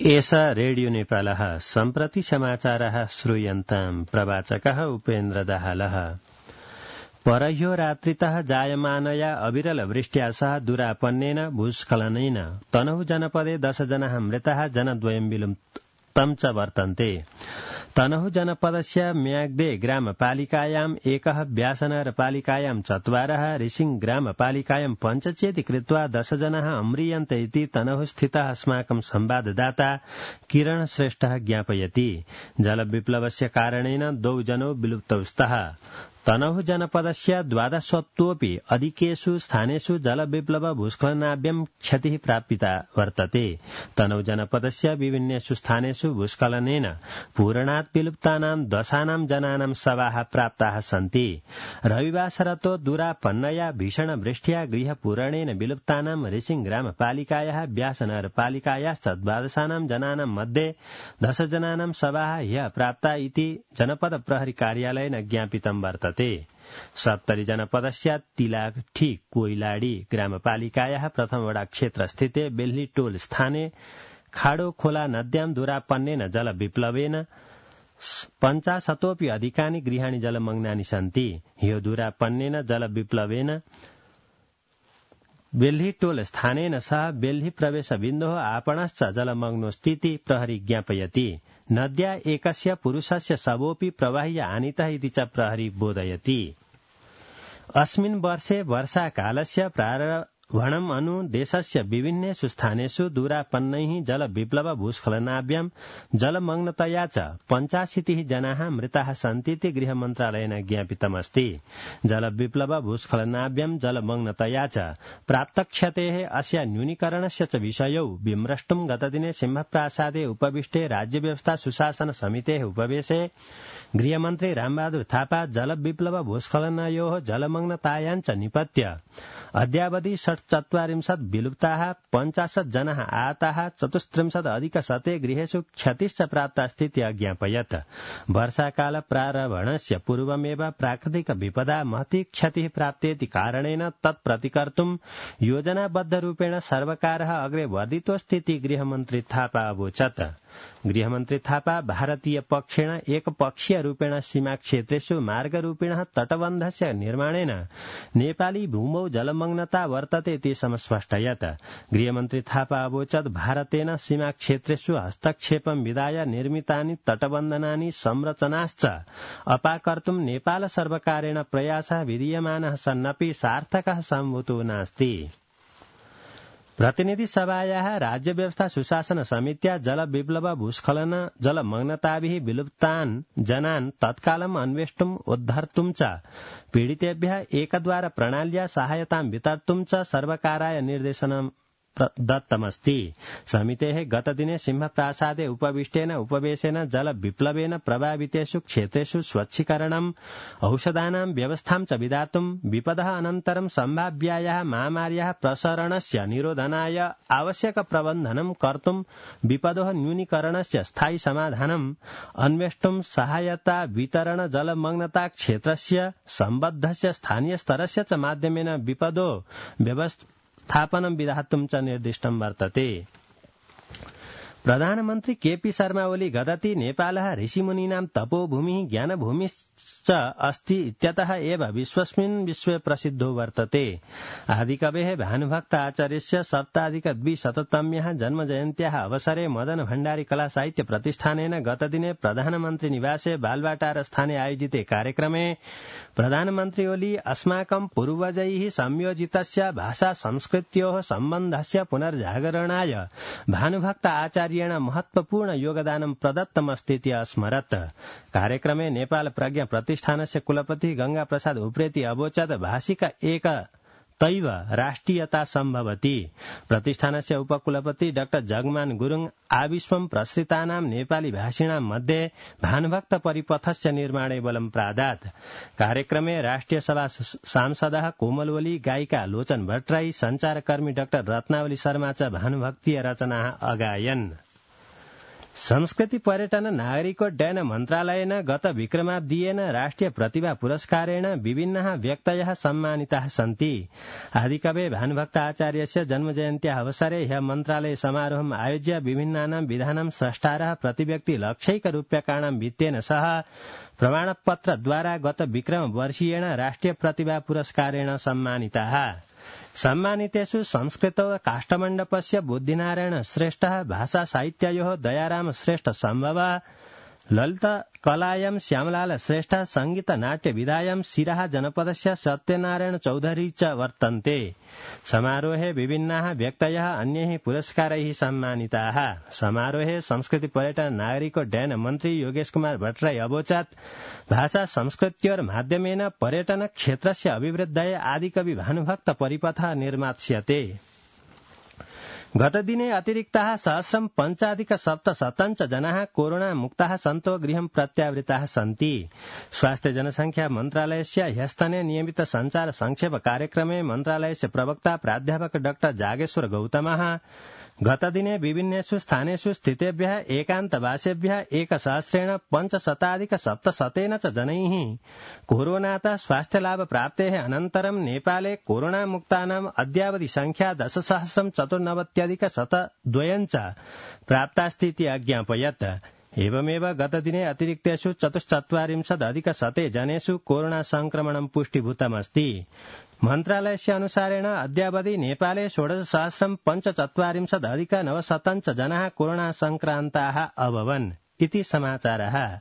एषा रेडियो नेपालः सम्प्रति समाचारः श्रूयन्ताम् प्रवाचकः उपेन्द्र दाहालः। परह्यो रात्रितः जायमानया अविरल वृष्ट्या सह दुरापन्नेन भूस्खलनेन तनहुँ जनपदे 10 जनाः मृताः जनद्वयं विलुप्तं च वर्तन्ते। तनहुँ जनपदस्य म्याग्दे ग्रामपालिकायाम् एकः व्यासनगरपालिकायां 4 रिसिङ ग्रामपालिकायां 5 चेति कृत्वा 10 जनाः अम्रियन्ते इति तनहुँ स्थितः अस्माकं संवाददाता किरण श्रेष्ठः ज्ञापयति। जलविप्लवस्य कारणेन 2 जनौ विलुप्तौ स्तः। तनहुँ जनपदस्य 12 अधिकेषु स्थानेषु जलविप्लव भूस्खलनाभ्यां क्षतिः प्रापिता वर्तते। तनहुँ जनपदस्य विभिन्नेषु स्थानेषु भूस्खलनेन पूरणात् विलुप्तानां दशानां जनानां शवाः प्राप्ताः सन्ति। रविवासरतो दुरापन्नया भीषण वृष्ट्या गृहपूरणेन विलुप्तानां रिसिङ ग्रामपालिकायाः व्यासनगरपालिकायाश्च 12 जनानां मध्ये 10 जनानां शवाः ह्यः प्राप्ता इति जनपद प्रहरी कार्यालयेन ज्ञापितं वर्तते। 70 जनपदस्य तिलाठी कोइलाडी ग्रामपालिकायाः प्रथम वडा क्षेत्र स्थिते बेल्ही टोल स्थाने खाडो खोला नद्यां दुरापन्नेन जलविप्लवेन 50 अधिकानि गृहाणि जलमग्नानि सन्ति। ह्यो दुरापन्नेन जलविप्लवेन बेल्ही टोल स्थानेन सह बेल्ही प्रवेश बिन्दोः आपणश्च जलमग्नोऽस्तीति प्रहरी ज्ञापयति। नद्या एकस्य पुरुषस्य शवोऽपि प्रवाह्य आनीतः इति च प्रहरी बोधयति। अस्मिन् वर्षे वर्षाकालस्य प्रारम्भणम् अनु देशस्य विभिन्नेषु स्थानेषु दुरापन्नैः जलविप्लव भूस्खलनाभ्यां जलमग्नतया च 85 जनाः मृताः सन्तीति गृहमन्त्रालयेन ज्ञापितमस्ति। जलविप्लव भूस्खलनाभ्यां जलमग्नतया च प्राप्तक्षतेः अस्य न्यूनीकरणस्य च विषयौ विमृष्टुं गतदिने सिंहप्रासादे उपविष्टे राज्यव्यवस्था सुशासन समितेः उपवेशे गृहमन्त्री रामबहादुर थापा जलविप्लव भूस्खलनयोः जलमग्नतायां च निपत्य अद्यावधि 40 विलुप्ताः 50 जनाः आहताः 34 अधिकशते गृहेषु क्षतिश्च प्राप्ता स्थिति अज्ञापयत्। वर्षाकाल प्रारम्भणस्य पूर्वमेव प्राकृतिक विपदा महती क्षतिः प्राप्तेति कारणेन तत्प्रतिकर्तुं योजनाबद्धरूपेण सर्वकारः अग्रे वर्धितोऽस्तीति गृहमन्त्री थापा अवोचत्। गृहमन्त्री थापा भारतीय पक्षेण एकपक्षीय रूपेण सीमा क्षेत्रेषु मार्गरूपेण तटबन्धस्य निर्माणेन नेपाली भूमौ जलमग्नता वर्तते इति समस्पष्टयत्। गृहमन्त्री थापा अवोचत् भारतेन सीमा क्षेत्रेषु हस्तक्षेपं विधाय निर्मितानि तटबन्धनानि संरचनाश्च अपाकर्तुं नेपाल सर्वकारेण प्रयासः विधीयमानः सन्नपि सार्थकः सम्भूतो नास्ति। प्रतिनिधि सभायाः राज्यव्यवस्था सुशासन समित्या जलविप्लव भूस्खलन जलमग्नताभिः विलुप्तान् जनान् तत्कालम् अन्वेष्टुम् उद्धर्तुं च पीडितेभ्यः एकद्वार प्रणाल्या सहायतां वितर्तुं च सर्वकाराय निर्देशनं दत्तमस्ति। समितेः गतदिने सिंहप्रासादे उपविष्टेन उपवेशेन जलविप्लवेन प्रभावितेषु क्षेत्रेषु स्वच्छीकरणम् औषधानां व्यवस्थां च विधातुं विपदः अनन्तरं सम्भाव्यायाः महामार्याः प्रसरणस्य निरोधनाय आवश्यक प्रबन्धनं कर्तुं विपदोः न्यूनीकरणस्य स्थायी समाधानम् अन्वेष्टुं सहायता वितरण जलमग्नता क्षेत्रस्य सम्बद्धस्य स्थानीय स्तरस्य च माध्यमेन विपदो व्यवस्थापनं विधातुं च निर्दिष्टं वर्तते। प्रधानमन्त्री केपी शर्मा ओली गदति नेपालः ऋषिमुनीनां तपोभूमिः ज्ञानभूमिश्च अस्ति इत्यतः एव विश्वस्मिन् विश्वे प्रसिद्धो वर्तते। आदिकवेः भानुभक्त आचार्यस्य 7+200तम्याः जन्मजयन्त्याः अवसरे मदन भण्डारी कला साहित्य प्रतिष्ठानेन गतदिने प्रधानमन्त्री निवासे बालवाटार स्थाने आयोजिते कार्यक्रमे प्रधानमन्त्री ओली अस्माकं पूर्वजैः संयोजितस्य भाषा संस्कृत्योः सम्बन्धस्य पुनर्जागरणाय भानुभक्त आचार्येण महत्वपूर्ण योगदानं प्रदत्तमस्तीति अस्मरत्। कार्यक्रमे नेपाल प्रज्ञा प्रतिष्ठानस्य कुलपति गंगा प्रसाद उप्रेती अवोचत् भाषिक एकतैव राष्ट्रियता सम्भवति। प्रतिष्ठानस्य उपकुलपति डाक्टर जगमान गुरुङ आविश्वं प्रसृतानां नेपाली भाषिणां मध्ये भानुभक्त परिपथस्य निर्माणे बलं प्रादात्। कार्यक्रमे राष्ट्रिय सभा सांसदः कोमल ओली, गायिका लोचन भट्टराई, संचारकर्मी डाक्टर रत्नावली शर्मा च भानुभक्तीय रचनाः अगायन्। संस्कृति पर्यटन नागरिकोड्डयन मन्त्रालयेन गत विक्रमाब्दीयेन राष्ट्रिय प्रतिभा पुरस्कारेण विभिन्नाः व्यक्तयः सम्मानिताः सन्ति। आदिकवये भानुभक्त आचार्यस्य जन्मजयन्त्याः अवसरे ह्यः मन्त्रालये समारोहम् आयोज्य विभिन्नानां विधानां स्रष्टारः प्रतिव्यक्ति लक्षैकरूप्यकाणां वित्तेन सह प्रमाणपत्रद्वारा गत विक्रमवर्षीयेण राष्ट्रिय प्रतिभा पुरस्कारेण सम्मानिताः। सम्मानितेषु संस्कृत काष्ठमण्डपस्य बुद्धिनारायण श्रेष्ठः, भाषा साहित्ययोः दयाराम श्रेष्ठ सम्भवः, ललित कलायां श्यामलाल श्रेष्ठ, संगीत नाट्य विधायां सिराहा जनपदस्य सत्यनारायण चौधरी च वर्तन्ते। समारोहे विभिन्नाः व्यक्तयः अन्यैः पुरस्कारैः सम्मानिताः। समारोहे संस्कृति पर्यटन नागरिकोड्डयन मन्त्री योगेश कुमार भट्टराई अवोचत् भाषा संस्कृत्योर्माध्यमेन पर्यटन क्षेत्रस्य अभिवृद्धये आदिकवि भानुभक्त परिपथः निर्मास्यते। गतदिने अतिरिक्ताः 1,005,700 जनाः कोरोना मुक्ताः सन्तो गृहं प्रत्यावृताः सन्ति। स्वास्थ्य जनसंख्या मन्त्रालयस्य ह्यस्तने नियमित संचार संक्षेप कार्यक्रमे मन्त्रालयस्य प्रवक्ता प्राध्यापक डाक्टर जागेश्वर गौतमः गतदिने विभिन्नेषु स्थानेषु स्थितेभ्यः एकान्तवासेभ्यः 1,500,700 च जनैः कोरोनातः स्वास्थ्यलाभ प्राप्तेः अनन्तरं नेपाले कोरोनामुक्तानाम् अद्यावधि संख्या 10,194,102 च प्राप्तास्तीति अज्ञापयत्। एवमेव गतदिने अतिरिक्तेषु 44,000 जनेषु कोरोना संक्रमणं पुष्टिभूतमस्ति। मन्त्रालयस्य अनुसारेण अद्यावधि नेपाले 16,045,900 च जनाः कोरोना संक्रान्ताः अभवन् इति समाचारः।